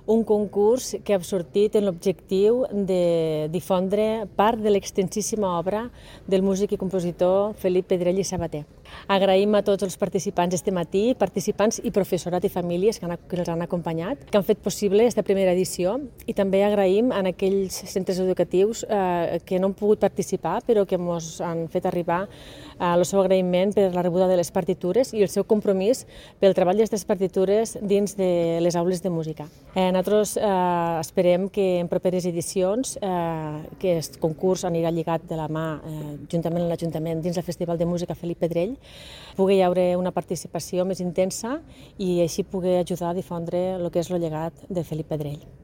un concurs que ha sortit en l'objectiu de difondre part de l'extensíssima obra del músic i compositor Felip Pedrell i Sabater. Agraïm a tots els participants este matí, participants i professorat i famílies que els han acompanyat, que han fet possible aquesta primera edició, i també agraïm a aquells centres educatius que no han pogut participar però que ens han fet arribar el seu agraïment per la rebuda de les partitures i el seu compromís pel treball d'aquestes partitures dins de les aules de música. Nosaltres esperem que en properes edicions aquest concurs anirà lligat de la mà juntament amb l'Ajuntament dins el Festival de Música Felip Pedrell, pugui haver una participació més intensa i així pugui ajudar a difondre el que és el llegat de Felip Pedrell.